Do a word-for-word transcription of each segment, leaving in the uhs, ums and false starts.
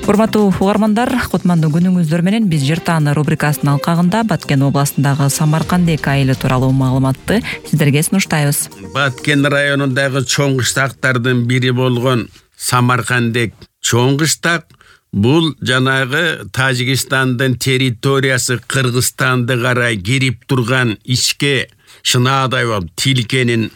Урматтуу угармандар, кутмандуу күнүңүздөр менен биз Жер тааны рубрикасынын алкагында Баткен областындагы Самаркандек айылы тууралуу маалыматты сиздерге сунуштайбыз. Баткен районундагы чоң кыштактардын бири болгон Самаркандек чоң кыштак бул жанагы Тажикстандын территориясы Кыргызстанды карай кирип турган ичке шынаадай болуп тилкенин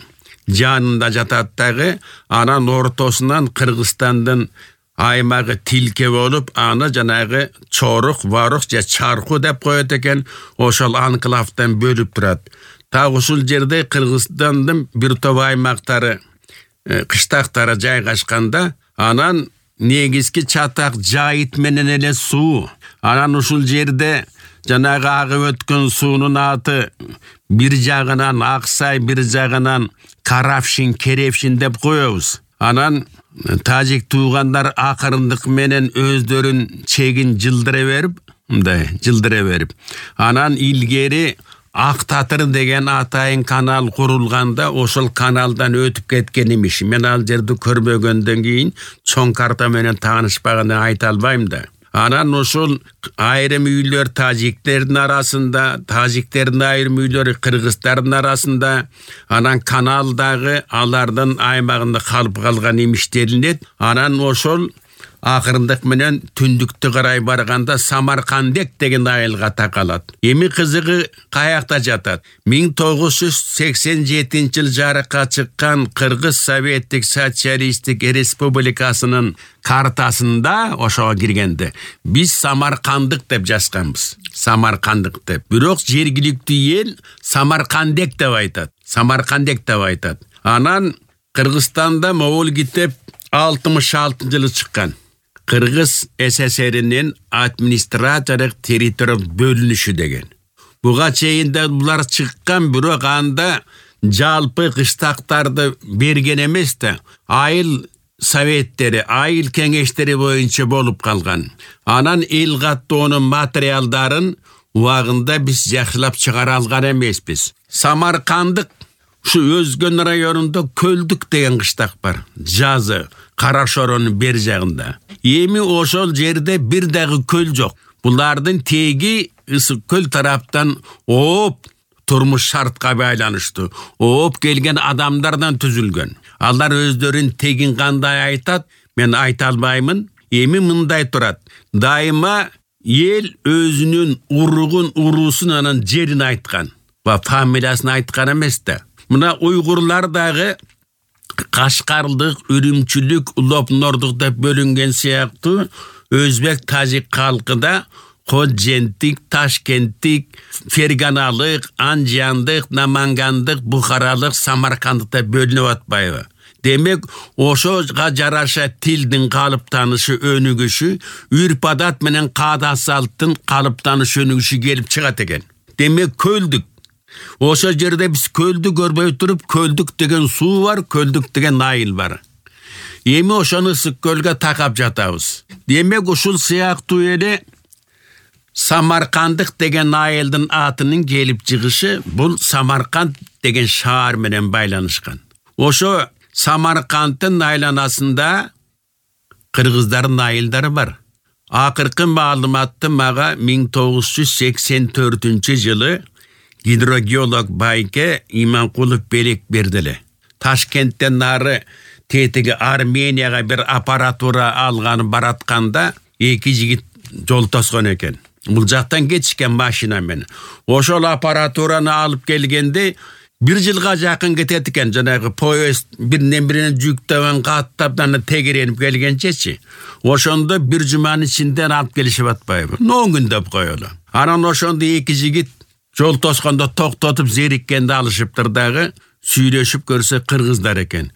жанында жатат дагы, анан ортосунан Кыргызстандын аймагы тилке болуп, аны жанагы Чорук, Варук же Чарку деп коет экен, ошол анклавдан бөлүп турат. Так ушул жерде Кыргызстандын бир топ аймактары, кыштактары жайгашканда, анан негизги чатак жайыт менен эле суу. Анан ушул жерде жанагы агып өткөн суунун аты бир жагынан Аксай, бир жагынан Каравшин, Керевшин деп коебуз. Анан тажик туугандар акырындык менен өздөрүн чегин жылдыра берип, мындай жылдыра берип, анан илгери Ак Татыр деген атайын канал курулганда ошол каналдан өтүп кеткен имиш. Мен ал жерди көрбөгөндөн кийин чоң карта менен таанышпаганы айта албайм да. Анан ошол айрым үйлөр тажиктердин арасында, тажиктердин айрым үйлөрү кыргыздардын арасында, анан каналдагы алардын аймагында калып калган имиштелинет. Анан ошол акырындык менен түндүктү карай барганда Самаркандек деген айылга такалат. Эми кызыгы каякта жатат? миң тогуз жүз сексен жетинчи жыл жарыкка чыккан Кыргыз Советтик Социалисттик Республикасынын картасында ошого киргенде биз Самаркандык деп жазганбыз. Самаркандык деп. Бирок жергиликтүү эл Самаркандек деп айтат. Самаркандек деп айтат. Анан Кыргызстанда могул китеп алтымыш алтынчы жылы чыккан. Кыргыз СССРинин административдик территориялык бөлүнүшү деген. Буга чейин да булар чыккан, бирок анда жалпы кыштактарды берген эмес да, айыл советтери, айыл кеңештери боюнча болуп калган. Анан эл каттоонун материалдарын убагында биз жакшылап чыгара алган эмеспиз. Самаркандык ушу Өзгөн районунда Көлдүк деген кыштак бар. Жазы Карашоронун бер жагында. Эми ошол жерде бир дагы көл жок. Булардын теги Ысык көл тараптан ооп турмуш шартка байланыштуу. Ооп келген адамдардан түзүлгөн. Алар өздөрүн тегин кандай айтат, мен айта албаймын. Эми мындай турат. Дайыма эл өзүнүн уругун, уруусун, анан жерин айткан. Ба фамилиясын айткан эмес да. Мына уйгурлар дагы Кашкарлык, Үрүмчүлүк, Улопнордук деп бөлүнген сыяктуу өзбек тажик калкы да Ходженттик, Ташкенттик, Ферганалык, Анжандык, Намангандык, Бухаралык, Самаркандык деп бөлүнүп атпайбы? Демек, ошого жараша тилдин калыптанышы, өнүгүшү, үрп-адат менен каада салттын калыптанышы, өнүгүшү келип чыгат экен. Демек, Көлдүк. Ошо жерде биз Көлдү көрбөй туруп, Көлдүк деген суу бар, Көлдүк деген айыл бар. Эми ошону Ысык көлгө такап жатабыз. Демек, ушул сыяктуу эле Самаркандык деген айылдын атынын келип чыгышы бул Самарканд деген шаар менен байланышкан. Ошо Самаркандтын айланасында кыргыздардын айылдары бар. Акыркы маалыматты мага миң тогуз жүз сексен төртүнчү жылы гидрогеолог Байке Иманкулов белек бердиле. Ташкенттен нары тетиги Арменияга бир аппаратура алганы баратканда эки жигит жол тоскон экен. Бул жактан кетишкен машина менен. Ошол аппаратураны алып келгенде бир жылга жакын кетет экен. Жанагы поезд биринен бирине жүктөгөн каттап аны тегеренип келгенчечи. Ошондо бир жуманын ичинде алып келишип атпайбы? он күн деп коелу. Анан ошондо эки жигит жол тоскондо токтотуп зериккенде алышыптыр дагы, сүйлөшүп көрсө кыргыздар экен.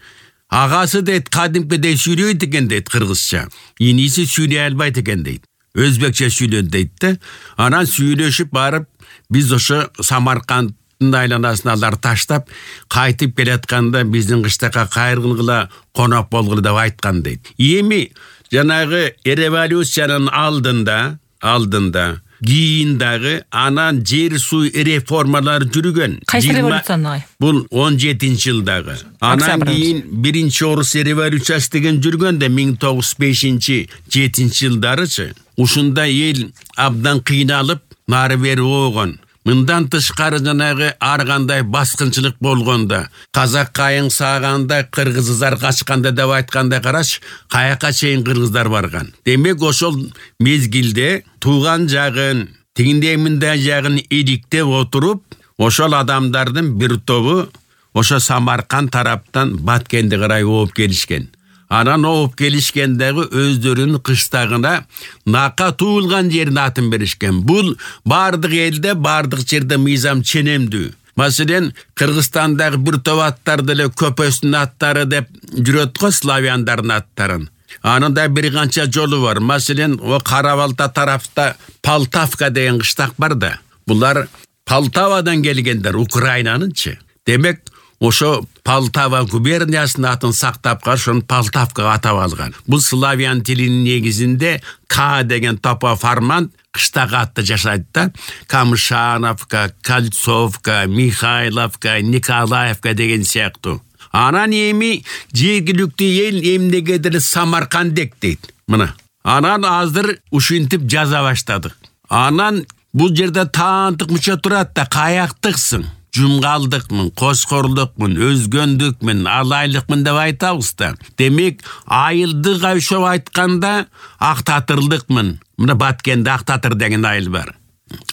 Агасы дейт, кадимкидей сүйлөйт экен дейт кыргызча. Иниси сүйлөй албайт экен дейт. Өзбекче сүйлөйт дейт да. Анан сүйлөшүп барып, биз ошо Самаркандтын айланасына алар таштап, кайтып келатканда биздин кыштакка кайрылгыла, конок болгула деп айткан дейт. Эми жанагы революциянын алдында, алдында кийин дагы анан жер суу реформалары жүргөн. Кайсы революцияны? Бул он жетинчи жылдагы. Анан кийин биринчи орус революциясы деген жүргөн да миң тогуз жүз бешинчи жетинчи жылдарычы. Ушунда эл абдан кыйналып, нары бери болгон. Мындан тышкары жанагы ар кандай баскынчылык болгондо, казак кайың сааганда, кыргыздар качканда деп айтканда караш, каяка чейин кыргыздар барган. Демек ошол мезгилде тууган жагын, тигиндей мындай жагын иликтеп отуруп, ошол адамдардын бир тобу ошо Самарканд тараптан Баткенди карай ооп келишкен. Анан ооп келишкендеги өздөрүнүн кыштагына нака туулган жерин атын беришкен. Бул бардык элде, бардык жерде мыйзам ченемдүү. Маселен, Кыргызстандагы бир топ аттар деле көпөстүн аттары деп жүрөт го, славяндардын аттарын. Анын да бир канча жолу бар. Маселен, о Кара-Балта тарафта Полтавка деген кыштак бар да. Булар Полтавадан келгендер, Украинанынчы. Демек, ошо Полтава губерниясынын атын сактап калышын Полтавка атап алган. Бул славян тилинин негизинде К деген топоформант кыштак атты жашайт да. Камышановка, Кольцовка, Михайловка, Николаевка деген сыяктуу. Анан эми жергиликтүү эл эмнегедир Самаркандек дейт. Мына. Анан азыр ушинтип жаза баштадык. Анан бул жерде таандык мыча турат да, каяктыксың? Жумгалдыкмын, кошкорлукмун, өзгөндүкмүн, алайлыкмын деп айтабыз да. Демек, айылдык айшоп айтканда актатырлыкмын. Мына Баткенде Актатыр деген айыл бар.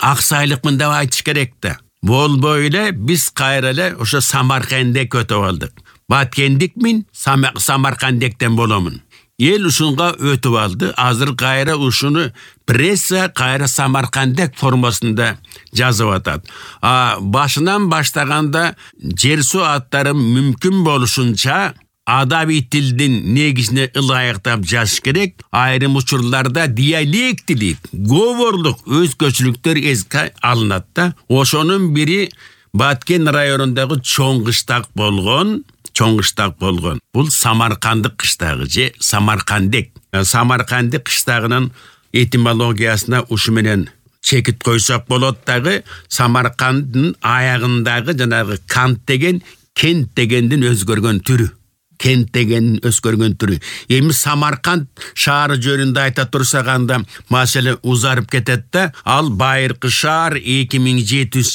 Аксайлыкмын деп айтыш керек да. Болбой эле биз кайра эле ошо Самаркандек өтүп алдык. Баткендикмин, Самаркандектен боломун. Ел ушунга өтүп алды. Азыр кайра ушуну пресса кайра Самаркандек формасында жазып атат. А башынан баштаганда жер суу аттары мүмкүн болушунча адаби тилдин негизине ылайыктап жазыш керек. Айрым учурларда диалектилик, говорлук өзгөчөлүктөр эске алынат да. Ошонун бири Баткен районундагы чоң кыштак болгон. Чоң кыштак болгон. Бул Самаркандык кыштагы же Самаркандек. Самаркандык кыштагынын этимологиясына ушу менен чекит койсок болот дагы. Самаркандын аягындагы жанагы кант деген кент дегендин өзгөргөн түрү. Кент дегендин өзгөргөн түрү. Эми Самарканд шаары жөнүндө айта турсак анда маселе узарып кетет да. Ал байыркы шаар эки миң жети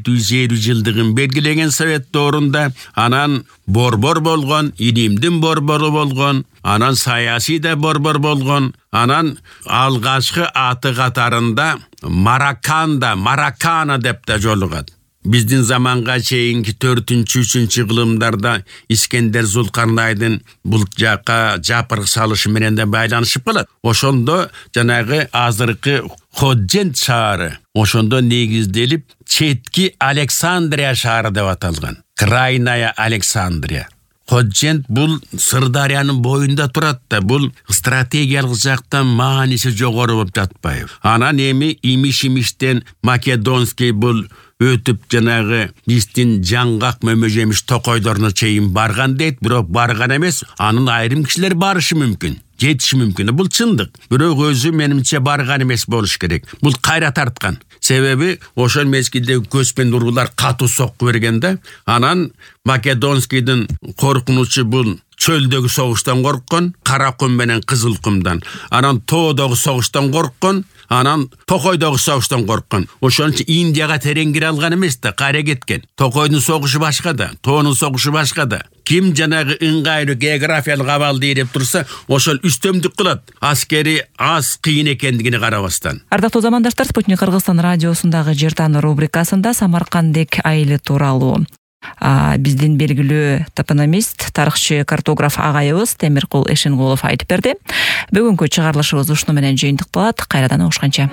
жүз элүү жылдыгын белгилеген совет доорунда. Анан борбор болгон, илимдин борбору болгон, анан саясий да борбор болгон. Анан алгачкы аты катарында Мараканда, Маракана деп да жолугат. Биздин заманга чейинки төртүнчү үчүнчү кылымдарда Искендер Зулкарнайдын бул жака жапырык салышы менен да байланышып калат. Ошондо жанагы азыркы Ходжент шаары ошондо негизделип четки Александрия шаары деп аталган. Крайная Александрия. Ходжент бул Сырдарыянын боюнда турат да, бул стратегиялык жактан мааниси жогору болуп жатпайбы. Анан эми имиш-имиштен Македонский бул өтүп жанагы биздин жаңгак мөмөжемиш токойдоруна чейин барган дейт, бирок барган эмес. Анын айрым кишилер барышы мүмкүн, жетиши мүмкүн. Бул чындык. Бирок өзү менимче барган эмес болуш керек. Бул кайра тарткан. Себеби ошол мезгилде көчпөн уруулар катуу сокку бергенде, анан Македонскийдин коркунучу бул чөлдөгү согуштан корккон, Каракум менен Кызылкумдан. Анан тоодогу согуштан корккон, анан Токойдогу согуштан корккон. Ошон үчүн Индияга терең кире алган эмес да, кайра кеткен. Токойдун согушу башка да, тоонун согушу башка да. Ким жанагы ыңгайлуу географиялык абалды ээлеп турса, ошол үстөмдүк кылат. Аскери аз кыйын экендигине карабастан. Ардактуу замандаштар, Спутник Кыргызстан радиосундагы Жер тааны рубрикасында Самаркандек айылы тууралуу биздин белгилүү топономист, тарыхчы, картограф агайыбыз Темиркул Эшенгулов айтып берди. Бүгүнкү чыгарылышыбыз ушуну менен жыйынтыкталат. Кайрадан угушканча.